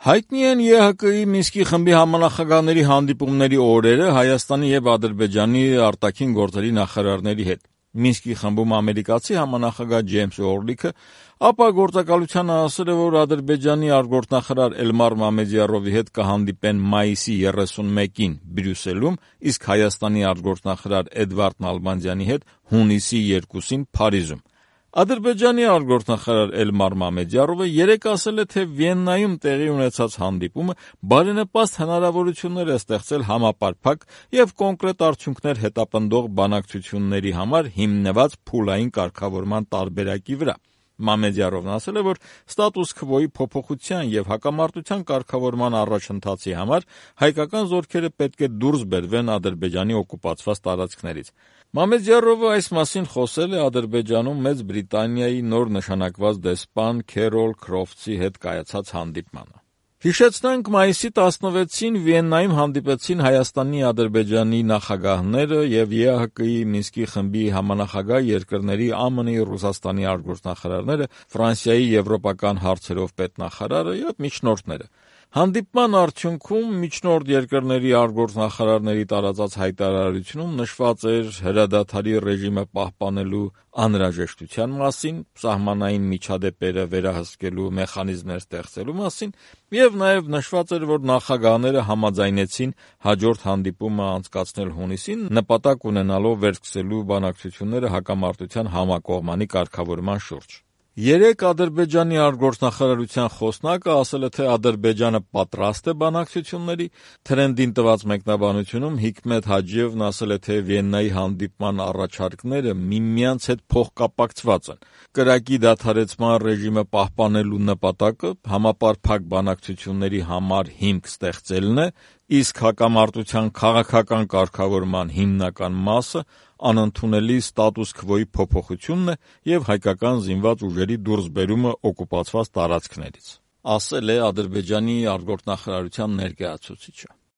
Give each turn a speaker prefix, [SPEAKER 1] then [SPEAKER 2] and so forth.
[SPEAKER 1] Հայտնի են ԵՀԿ-ի Մինսկի խմբի համանախագահների հանդիպումների օրերը Հայաստանի և Ադրբեջանի արտաքին գործերի նախարարների հետ։ Մինսկի խմբում ամերիկացի համանախագահ Ջեյմս Օրլիքը ապա գործակալությանը ասել է, որ Ադրբեջանի արտգործնախարար Էլմար Մամեդյարովի հետ կհանդիպեն մայիսի 31-ին Բրյուսելում, իսկ Հայաստանի արտգործնախարար Էդվարդ Նալբանդյանի հետ հունիսի 2-ին Փարիզում։ Ադրբեջանի արտգործնախարար Էլմար Մամեդյարովը երեկ ասել է, թե Վիեննայում տեղի ունեցած հանդիպումը բարենպաստ հնարավորություններ է ստեղծել համապարփակ և կոնկրետ արդյունքներ հետապնդող բանակցությունների համար հիմնված փուլային կարգավորման տարբերակի վրա։ Մամեդյարովն ասել է, որ ստատուս քվոյի փոփոխության և հակամարտության կարգավորման առաջընթացի համար հայկական զորքերը պետք է դուրս բերվեն Ադրբեջանի օկուպացված տարածքներից։ Մամեդյարովը այս մասին խոսել է Ադրբեջանում Մեծ Բրիտանիայի նոր նշանակված դեսպան Քերոլ Քրոֆթսի հետ կայացած հանդիպմանը։ Հիշեցնենք, մայիսի 16-ին Վիեննայում հանդիպեցին Հայաստանի, Ադրբեջանի նախագահները և ԵԱՀԿ-ի Մինսկի խմբի համանախագահ երկրների ԱՄՆ-ի, Ռուսաստանի արտգործնախարարները, Ֆրանսիայի եվրոպական հարցերով պետնախարարը և միջնորդները։ Հանդիպման արդյունքում միջնորդ երկրների արտգործնախարարների տարածած հայտարարությունում նշված էր հրադադարի ռեժիմը պահպանելու անհրաժեշտության մասին, սահմանային միջադեպերը վերահսկելու մեխանիզմներ ստեղծելու մասին և նաև նշված էր, որ նախագահները համաձայնեցին հաջորդ հանդիպումը անցկացնել հունիսին, նպատակ ունենալով վերսկսելու բանակցությունները հակամարտության համակողմանի կարգավորման շուրջ։ Երեկ Ադրբեջանի արտգործնախարարության խոսնակը ասել է, թե Ադրբեջանը պատրաստ է բանակցությունների։ Թրենդին տված մեկնաբանությունում Հիկմետ Հաջիևն ասել է, թե Վիեննայի հանդիպման առաջարկները միմյանց հետ փոխկապակցված են։ Կրակի դադարեցման ռեժիմը պահպանելու նպատակը համապարփակ բանակցությունների համար հիմք ստեղծելն է, իսկ հակամարտության քաղաքական կարգավորման հիմնական մասը անընդունելի ստատուս քվոյի փոփոխությունն է և հայկական զինված ուժերի դուրսբերումը օկուպացված տարածքներից, ասել է Ադրբեջանի արտգործնախարարության ներկայացուցիչը։